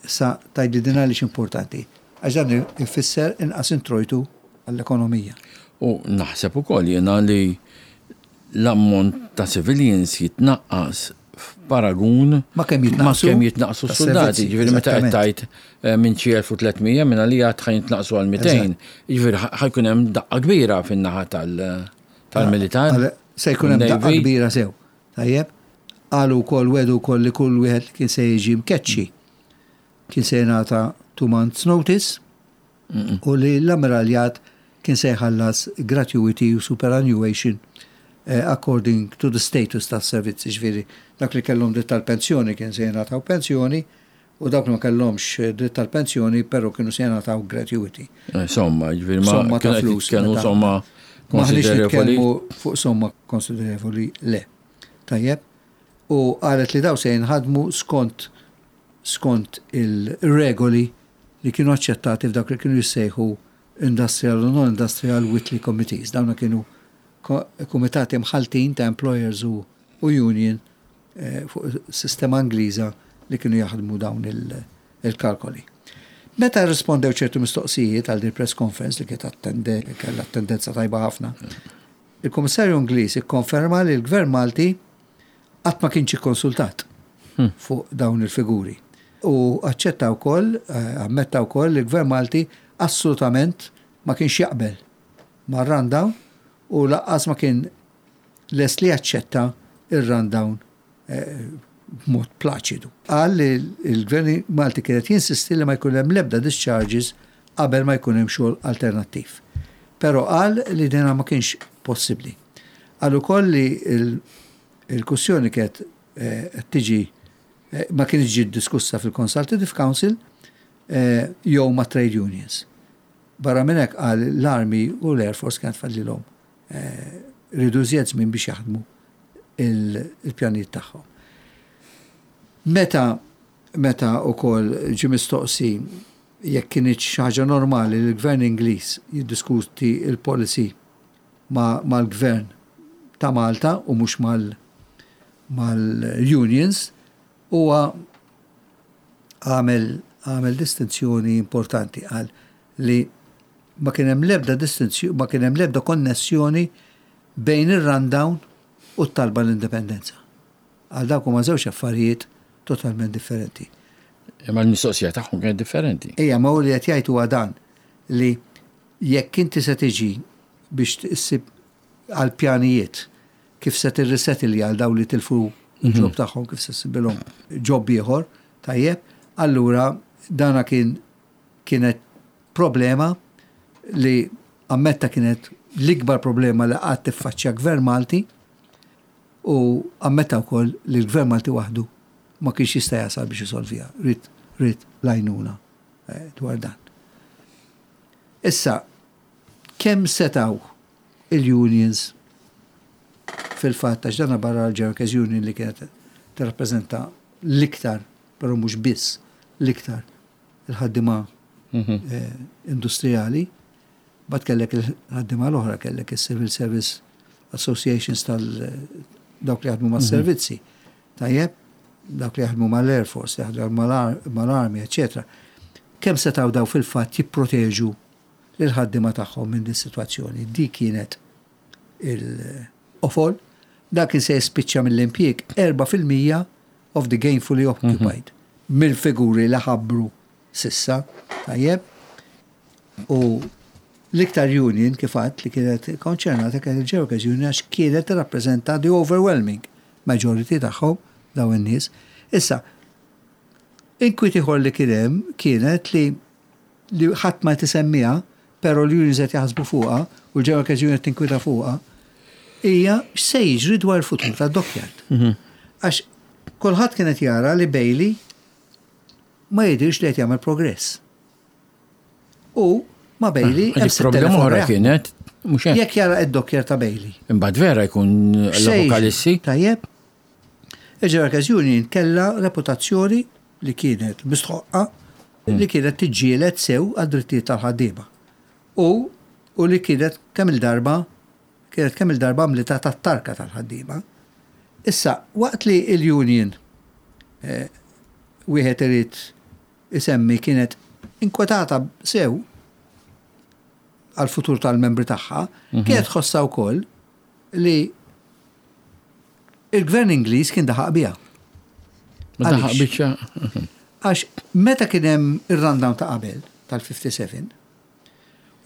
Sa tgħidli din għaliex importanti? Għax dan ifisser inqas introjtu għall-ekonomija. U naħseb ukoll jiena li l-ammont ta' civilians jitnaqqas f'paragun ma' kemm jitnaqqsu ma' kemm jitnaqqsu s-suldati. Ġifieri meta qed tgħid eh, minn xi 1300 minn għalija ħa jitnaqqsu għal 200. Ġifieri ħa jkun hemm daqqa kbira fin-naħa tal-militar. Se jkun hemm daqqa kbira sew. Tajjeb? Qalu wkoll, wegħdu wkoll li kull wieħed li kien se jiġi mkeċċi kien se jingħata two months notice u li l-ammiraljat kien se jħallas gratuity u superannuation eh, according to the status tas-servizz, jiġifieri dak li kellhom dritt tal-pensjoni kien se jingħataw pensjoni u dawk li ma kellhomx dritt tal-pensjoni però kienu se jingħataw gratuity. Eh, somma, ġifieri ma somma ta' flus. Kienu somma konsiderevoli. Fuq somma konsiderevoli le. Tajjeb. U qalet li daw se jinħadmu skont skont il-regoli li kienu aċċettati f'dawk li kienu jissejħu Industrial u Non-Industrial Whitley Committees. Dawna kienu kumitati mħaltin ta' employers u union fuq sistema Ingliża li kienu jaħdmu dawn il-kalkoli. Meta rrispondew ċertu mistoqsijiet għal din press conference li kienet attende, kellha attendenza tajba ħafna, il-Kummissarju Ingliż ikkonferma li l-Gvern Malti qatt ma kienx ikkonsultat hmm. fuq dawn il-figuri. U aċċetta wkoll, eh, ammetta wkoll li l-Gvern Malti assolutament ma kienx jaqbel mar-rundown u laqqas ma kien lest li jaċċetta ir-rundown b'mod plaċidu. Qal li l-Gvern Malti kien qed jinsisti li ma jkun hemm l-ebda discharges qabel ma jkun hemm xogħol alternattiv. Però qal li dina ma kienx possibbli. Qal ukoll li l-kwistjoni kienet qed tiġi ma kinitx ġiet diskussa fil-Consultative Council jew mat-trade unions. Barra minn hekk qal l-Army u l-Air Force kienet fadlilhom riedu iżjed żmien biex jaħdmu il-pjanijiet tagħhom. Meta meta wkoll ġie mistoqsi jekk kinitx xi ħaġa normali li l-Gvern Ingliż jiddiskuti l-policy mal-Gvern ta' Malta u mhux mal-unions, huwa għamel għamel distinzjoni importanti qal li ma kien hemm l-ebda distinzjoni ma kien hemm l-ebda konnessjoni bejn ir-rundown u t-talba l-indipendenza. Għal dawk huma żewġ affarijiet totalment differenti. Imma l-mistoqsija tagħhom kienet differenti. Ejja, ma hu li qed jgħid huwa dan li jekk inti se tiġi biex issib għal pjanijiet kif se tirrisetilja għal dawn li tilfu l-ġob tagħhom kif se ssibilhom ġob ieħor, tajjeb, allura dana kien kienet problema li ammetta kienet l-ikbar problema li qatt tiffaċċja gvern Malti u ammetta wkoll li l-gvern Malti waħdu ma kienx jista' jasal biex isolviha, ried ried l-għajnuna dwar dan. Issa, kemm setgħu il-unions fil-fatt għax dana barra l-Workers Union li kienet tirrappreżenta l-iktar, però mhux biss l-iktar il-ħaddiema industrijali, bat kellek il-ħaddiema l-oħra, kellek il-Civil Service Associations tal dawk li jaħdmu mas-servizzi. Tajjeb, dawk li jaħdmu mal-Air Force, jaħdmu mal-Army, eccetera. Kemm setgħu daw fil-fatt jipproteġu lil-ħaddiema tagħhom minn din sitwazzjoni? Di kienet il-qofol. Dak kien se jispiċċa mill-impjieg 4% of the gainfully occupied. Mill-figuri li ħabbru s'issa, tajjeb. U l-iktar union kif għadt li kienet konċernata kienet il-Workers Union għax kienet tirrappreżenta the overwhelming majority tagħhom dawn in-nies. Issa, inkwiet ieħor li kien hemm kienet li li ħadd ma tisemmiha, però l-unions qed jaħsbu fuqha u l-Workers Union qed tinkwita fuqha, hija x'se jiġri dwar il-futur tad-dockyard. Għax kulħadd kien qed jara li Bailey ma jidhirx li qed jagħmel progress. U ma Bailey hemm problema oħra kienet mhux hekk. Jekk jara id-dockyard ta' Bailey. Imbagħad vera jkun l-apokalissi. Tajjeb. Il-Workers Union kellha reputazzjoni li kienet mistħoqqa li kienet tiġġieled sew għad-drittijiet tal-ħaddiema. U u li kienet kemm il-darba kienet kemm il-darba għamlitha tat-tarka tal-ħaddiema. Issa, waqt li l-union wieħed irid isemmi kienet inkwetata sew għal-futur tal-membri tagħha, kienet tħossha wkoll li il-gvern Ingliż kien daħaq biha. Ma daħaq biċċa. Għax meta kien hemm ir-rundown ta' qabel tal-57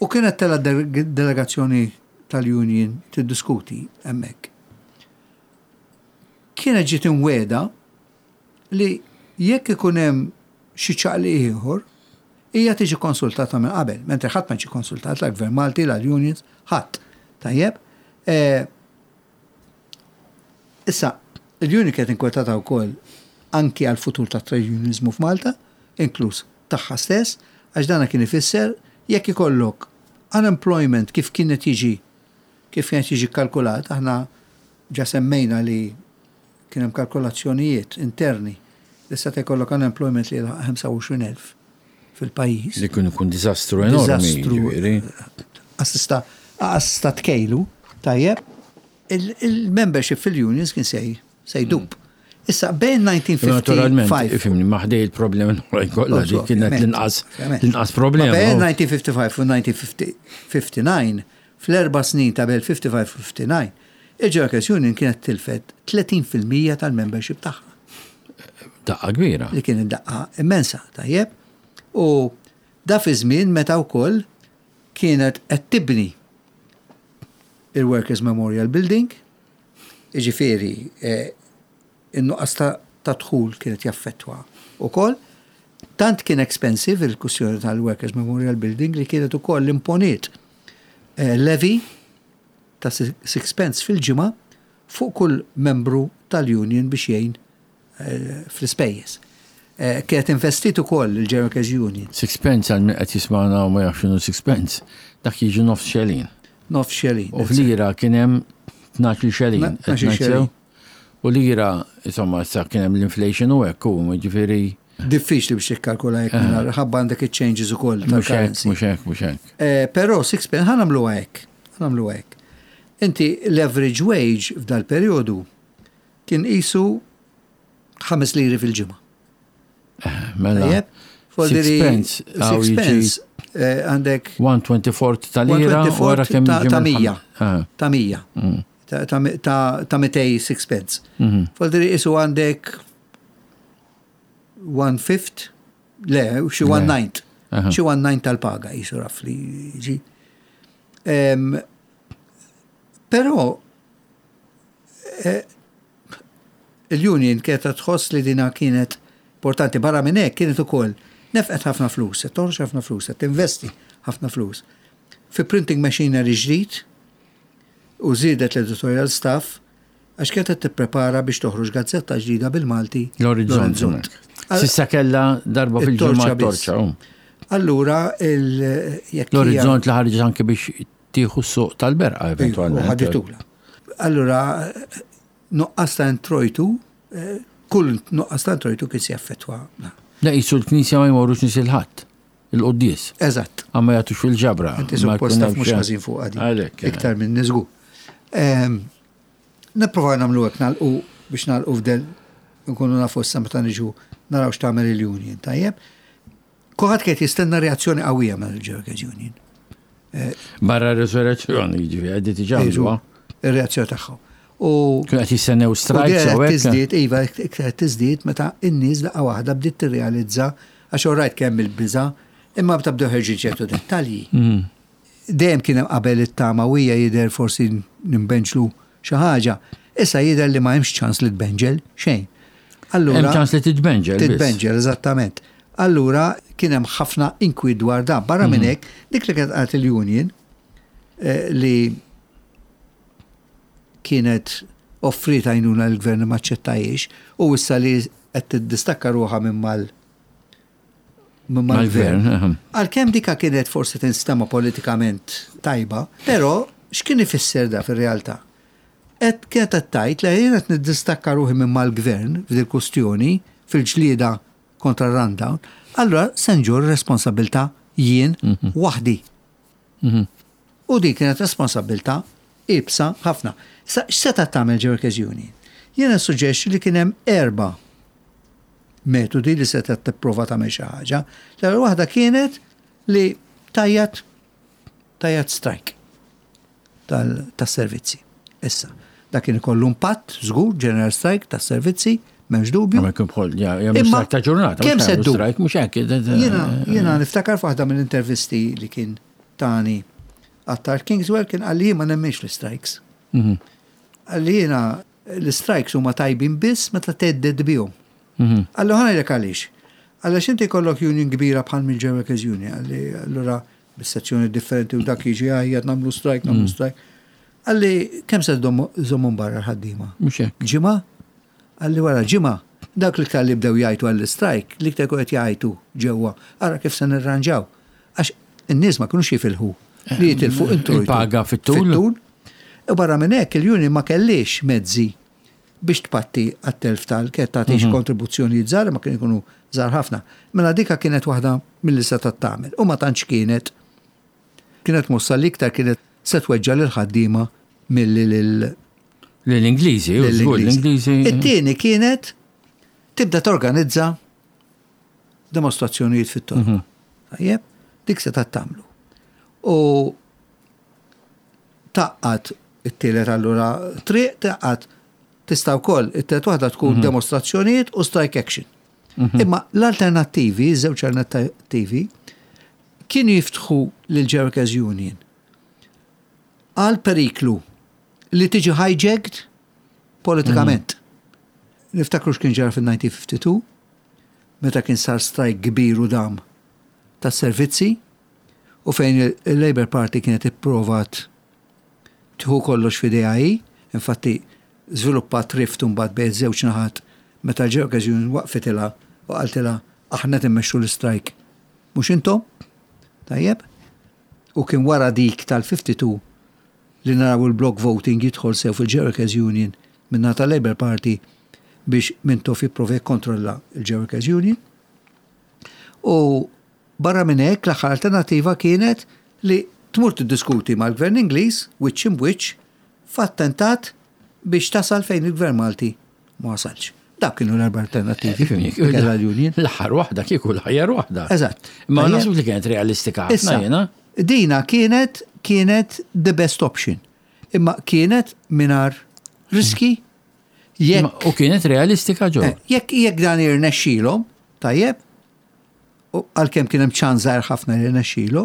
u kienet tela delegazzjoni tal-union tiddiskuti hemmhekk. Kienet ġiet imwiegħda li jekk ikun hemm xi ċaqliq ieħor, hija tiġi konsultata minn qabel, mentri ħadd ma ġie konsultat la gvern Malti, la l-unions, ħadd. Tajjeb. Issa, il-union kienet inkwetata wkoll anki għal futur ta' trade unionizmu f'Malta, inkluż tagħha stess, għax dana kien ifisser jekk ikollok unemployment kif kienet jiġi kif kienet jiġi kalkulat, aħna ġa semmejna li kien hemm kalkolazzjonijiet interni li seta' jkollok unemployment li jilħaq 25,000 fil-pajjiż. Li kien ikun diżastru enormi. Diżastru. Assista assista tkejlu, tajjeb. Il-membership fil-unions kien sej se jdub. Issa bejn 1955. Naturalment, ifhimni, ma ħdej il-problemi l-oħrajn kollha li kienet l-inqas l-inqas problema. Bejn 1955 u 1959, fl-erba' snin ta' bejn 55 u 59, il-Workers Union kienet tilfet 30% tal-membership tagħha. Daqqa kbira. Li kienet daqqa immensa, tajjeb. U da fi żmien meta wkoll kienet qed tibni il-Workers Memorial Building. Jiġifieri, in-nuqqas ta' dħul kienet jaffettwa wkoll. Tant kien expensive il-kwistjoni tal-Workers Memorial Building li kienet ukoll imponiet levy ta' sixpence fil-ġimgħa fuq kull membru tal-union biex jgħin fl-ispejjeż. Kienet investiet ukoll il-General Workers Union. Sixpence għal min qed jismagħna u ma jafx x'inhu sixpence, dak jiġi nofs xelin. Nofs xelin. U f'lira kien hemm 12 xelin. 12 xelin. U lira, insomma, issa kien hemm l-inflation u hekk u ġifieri. Diffiċli biex tikkalkula jekk mingħajr ħabba għandek iċ-changes ukoll tal-currency. Mhux hekk, mhux hekk. Però sixpence ħa nagħmluha hekk. Ħa nagħmluha hekk. Inti l-average wage f'dal-perjodu kien qisu 5 liri fil-ġimgħa. Mela. Sixpence. Sixpence għandek. 124 ta' lira. Wara kemm ta' 100. Ta' 100. Ta' 200 sixpence. Voldiri qisu għandek one fifth, le, xi one ninth. Xi one ninth tal-paga qisu rafli ġi. Però il-union kienet tħoss li dina kienet importanti. Barra minn hekk kienet ukoll nefqet ħafna flus, qed toħroġ ħafna flus, qed tinvesti ħafna flus. Fi printing machinery ġdid u żiedet l-editorial staff għax kienet qed tipprepara biex toħroġ gazzetta ġdida bil-Malti. L-Orizzont. S'issa kellha darba fil-ġimgħa torċa. Allura jekk L-Orizzont li ħarġet anke biex tieħu s-suq tal-berqa eventualment. Ħaditula. Allura nuqqas ta' introjtu, kull nuqqas ta' introjtu kien se jaffettwa. Le qisu l-knisja ma jmorrux nies il-Ħadd, il-quddies. Eżatt. Għax ma jagħtux fil-ġabra. Inti suppost taf mhux ħażin fuq għadi. Għalhekk. Iktar minn żgur. Nipprova nagħmlu hekk nagħlqu biex nagħlqu f'del nkunu nafu issa meta niġu naraw x'tagħmel il-union, tajjeb. Kulħadd kien jistenna reazzjoni qawwija mill-Workers Union. Barra r-resurrezzjoni, jiġifieri, għaddi diġà għamluha. Ir-reazzjoni tagħhom. U Kienu qed jistennew strikes u tiżdied, iva, iktar tiżdied meta n-nies daqqa waħda bdiet tirrealizza għax orajt kemm il-biża, imma meta bdew ħerġin ċertu dettalji. Dejjem kien hemm qabel it-tama u hija jidher forsi nimbenġlu xi ħaġa. Issa jidher li ma hemmx ċans li tbenġel xejn. Allura Hemm ċans li titbenġel. Titbenġel, eżattament. Allura kien hemm ħafna inkwiet dwar dan. Barra minn hekk, dik li kienet qalet il-union li kienet offriet għajnuna l-gvern ma aċċettajiex u issa li qed tiddistakka ruħha minn mal minn mal-gvern. Għalkemm dika kienet forsi tinstema politikament tajba, però x'kien ifisser da fir-realtà? Qed kienet qed tgħid li jien qed niddistakka ruħi minn mal-gvern f'dil kustjoni fil-ġlieda kontra r-rundown, allura se nġorr responsabilità jien waħdi. U din kienet responsabilità iebsa ħafna. Issa x'setgħet tagħmel Workers Union? Jiena nissuġġerixxi li kien hemm erba' metodi li setgħet tipprova tagħmel xi ħaġa. L-ewwel waħda kienet li tgħajjat tgħajjat strike tas-servizzi. Issa, dak kien ikollu impatt żgur, general strike tas-servizzi, m'hemmx dubju. Ma jkun bħol, ja, strike ta' ġurnata. Kemm se ddum? Strike mhux hekk. Jiena niftakar f'waħda mill-intervisti li kien tani Attard Kingswell kien qalli jien ma nemminx l-strikes. Qalli jiena l-strikes huma tajbin biss meta thedded bihom. Qalli ħa ngħidlek għaliex. Għaliex inti jkollok union kbira bħal mill Workers Union, qalli allura bis-sezzjoni differenti u dak jiġi għajjat nagħmlu strike, nagħmlu strike. Qalli kemm se żommhom barra l-ħaddiema? Mhux hekk. Ġimgħa? Qalli wara ġimgħa, dak l-iktar li bdew jgħajtu għall-strike, l-iktar qed jgħajtu ġewwa, ara kif se nirranġaw. Għax in-nies ma kinux jifilħu li jitilfu introjtu. Il-paga fit-tul. Fit-tul. U barra minn hekk il-union ma kellix mezzi biex tpatti għat-telf tal kienet tagħtix kontribuzzjonijiet żgħar ma kienu jkunu żgħar ħafna. Mela dika kienet waħda milli setgħet tagħmel u ma tantx kienet kienet mossa li iktar kienet se tweġġa' lil ħaddiema milli lil L-Ingliżi, l-Ingliżi. It-tieni kienet tibda torganizza dimostrazzjonijiet fit-toroq. Tajjeb, dik se tagħmlu. U tgħaqqad it-tielet allura triq tgħaqqad tista' wkoll it-tielet waħda tkun demostrazzjonijiet u strike action. Imma l-alternattivi, żewġ alternattivi, kienu jiftħu lil Workers Union għal periklu li tiġi hijacked politikament. Niftakru x'kien ġara fil-1952, meta kien sar strajk kbir u dam tas-servizzi u fejn il-Labour Party kienet ipprovat tieħu kollox f'idejha hi, infatti żviluppat rift imbagħad bejn iż-żewġ naħat meta l-Workers Union waqfitilha u qaltilha aħna qed immexxu l-istrajk mhux intom. Tajjeb? U kien wara dik tal-52 li naraw il-block voting jidħol sew fil-Workers Union min-naħa tal-Labour Party biex Mintoff jipprova jikkontrolla l-Workers Union. U barra minn hekk l-aħħar alternattiva kienet li tmur tiddiskuti mal-Gvern Ingliż wiċċ imb'wiċċ f'attentat biex tasal fejn il-Gvern Malti ma wasalx. Dawk kienu l-erba' alternattivi li kellha l-Union. L-aħħar waħda kieku l-aħjar waħda. Eżatt. Ma naħseb li kienet realistika ħafna jiena. Dina kienet kienet the best option. Imma kienet mingħajr riski jekk. U kienet realistika ġo. Eh, jekk jekk dan irnexxilhom, tajjeb, għalkemm kien hemm ċans żgħir ħafna li rnexxielu,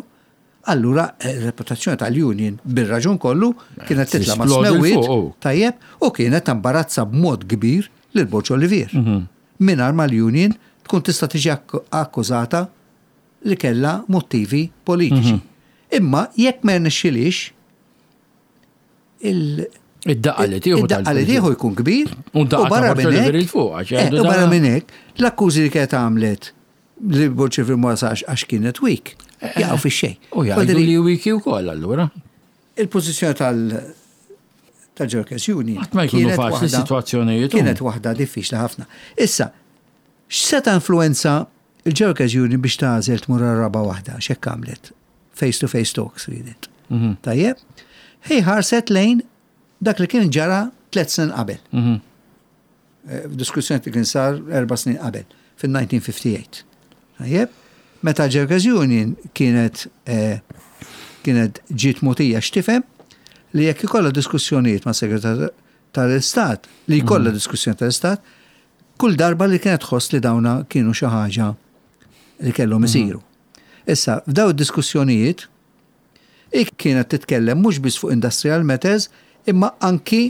allura eh, reputazzjoni tal-union bir-raġun kollu kienet titla' ma' smewwiet, oh. tajjeb, u kienet tambarazza b'mod kbir lil Borġ Olivier. Mingħajr ma l-union tkun tista' tiġi akkużata li kellha motivi politiċi. Imma jekk ma rnexxilix, il- Id-daqqa li tieħu id-daqqa li tieħu jkun kbir. U barra minn hekk. Eh, u barra minn hekk, l-akkużi li kienet għamlet li Bolċevir ma wasalx għax kienet weak, eh, jaqgħu fix-xejn. U jgħidu li weak ukoll allura. Il-pożizzjoni tal- tal-Workers Union. Qatt ma jkunu faċli sitwazzjonijiet. Kienet waħda diffiċli ħafna. Issa, x'seta' influenza il-Workers Union biex tagħżel tmur raba waħda, x'hekk għamlet? Face-to-face talks ridet. Mhm. Tajjeb? Hi ħarset lejn dak li kien ġara tlet snin qabel. Mhm. Eh, f'diskussjoni li kien sar erba' snin qabel, fil-1958. Tajjeb? Meta Workers Union kienet eh, kienet ġiet mutija x'tifhem li jekk ikollha diskussjonijiet ma' segretar tal-Istat, li jkollha mhm. diskussjoni tal-Istat, kull darba li kienet tħoss li dawna kienu xi ħaġa li kellhom isiru. Issa, f'daw id-diskussjonijiet, hi kienet titkellem mhux biss fuq industrial matters, imma anki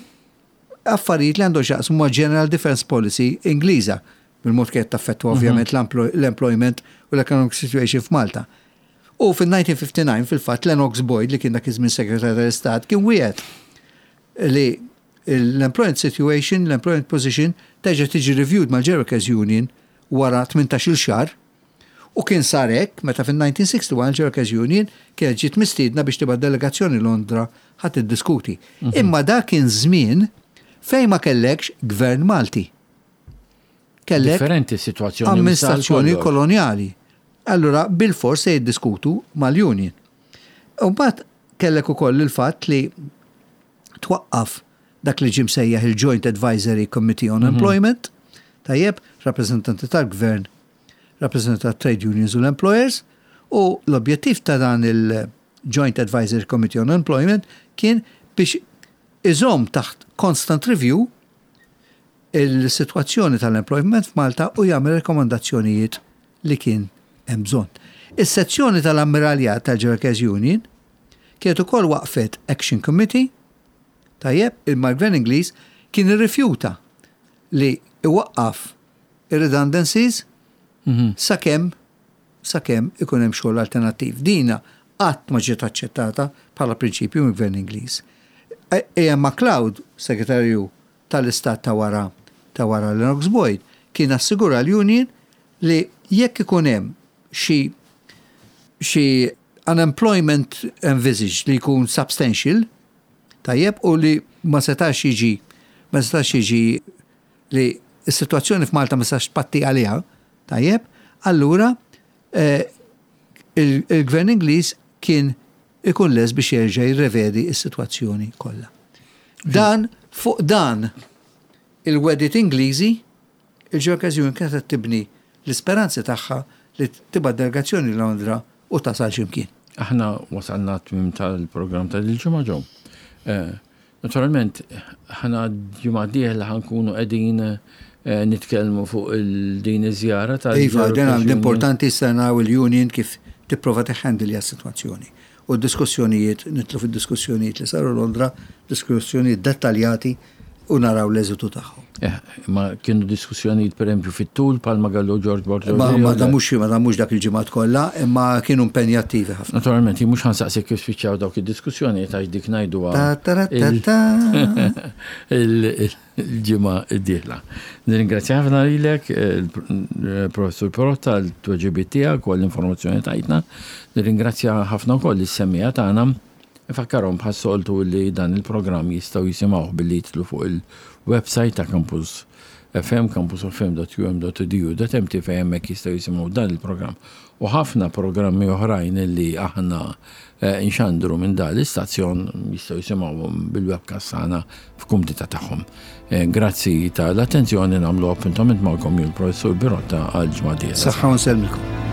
affarijiet li għandhom x'jaqsmu ma' General Defence Policy Ingliża, bil-mod kienet taffettwa ovvjament l-employment u l-economic situation f'Malta. U fil-1959 fil-fatt Lennox Boyd li kien dak iż-żmien Segretarju tal-Istat kien wiegħed li l-employment situation, l-employment position terġa' tiġi reviewed mal-Workers Union wara 18-il xahar U kien sar hekk meta fin-1961 l-Workers Union kienet ġiet mistiedna biex tibgħat delegazzjoni Londra ħa tiddiskuti. Imma dak kien żmien fejn ma kellekx gvern Malti. Kellek Differenti s-sitwazzjoni amministrazzjoni kolonjali. Allura bilfors se jiddiskutu mal-union. U mbagħad kellek ukoll il-fatt li twaqqaf dak li ġie msejjaħ il-Joint Advisory Committee on Employment, tajjeb, rappreżentanti tal-gvern, rappreżentanti tat-trade unions u l-employers, u l-objettiv ta' dan il-Joint Advisory Committee on Employment kien biex iżomm taħt constant review il-sitwazzjoni tal-employment f'Malta u jagħmel rekomandazzjonijiet li kien hemm bżonn. Is-sezzjoni tal-Ammiraljat tal-Workers Union kienet ukoll waqfet Action Committee, tajjeb, imma l-Gvern Ingliż kien irrifjuta li iwaqqaf ir-redundancies sakemm sakemm ikun hemm xogħol alternattiv. Dina qatt ma ġiet aċċettata bħala prinċipju mill-Gvern Ingliż. A.M. MacLeod, Segretarju tal-Istat ta' wara ta' wara Lennox Boyd, kien assigura l-union li jekk ikun hemm xi xi unemployment envisaged li jkun substantial, tajjeb, u li ma setax jiġi ma setax jiġi li s-sitwazzjoni f'Malta ma setax tpatti għaliha, tajjeb, allura eh, il-gvern Ingliż kien ikun les biex jerġa' jirrevedi s-sitwazzjoni kollha. Dan fuq dan il-wedit Ingliżi, il-Workers Union kienet qed tibni l-isperanzi tagħha li tibgħat delegazzjoni Londra u tasal x'imkien. Aħna wasalna t-tmiem tal-programm ta' dil-ġimgħa ġew. Eh, naturalment, ħana ġimgħa dieħla ħankunu qegħdin eh, nitkellmu fuq din iż-żjara tal Iva, dan l-importanti issa naraw il-union kif tipprova teħhandilja s-sitwazzjoni. U d-diskussjonijiet, nitlu fid-diskussjonijiet li saru Londra, diskussjonijiet dettaljati. U naraw l-eżitu tagħhom. Eh, ma kienu diskussjonijiet pereżempju fit-tul palma gallu George Borg. Ma ma damux ma damux dak il-ġimgħat kollha, imma kienu impenjattivi ħafna. Naturalment, jien mhux ħansaqsik kif spiċċaw dawk id-diskussjonijiet għax dik ngħiduha il-ġimgħa d-dieħla. Nirringrazzja ħafna lilek, il-Professur Perotta, għal-tweġibiet tiegħek u għall-informazzjoni tajtna. Nirringrazzja ħafna wkoll is-semmiegħa tagħna. Infakkarhom bħas-soltu li dan il-programm jistgħu jisimgħuh billi jidħlu fuq il-website ta' Campus FM, campusfm.um.edu.mt fejn hemmhekk jistgħu jisimgħu dan il-programm u ħafna programmi oħrajn li aħna eh, nxandru minn dan l-istazzjon jistgħu jisimgħuhom bil-webcast tagħna f'kumdità tagħhom. Eh, grazzi tal-attenzjoni nagħmlu appuntament magħkom jien professur Birotta għal ġimgħa Saħħa u nsellmilkom.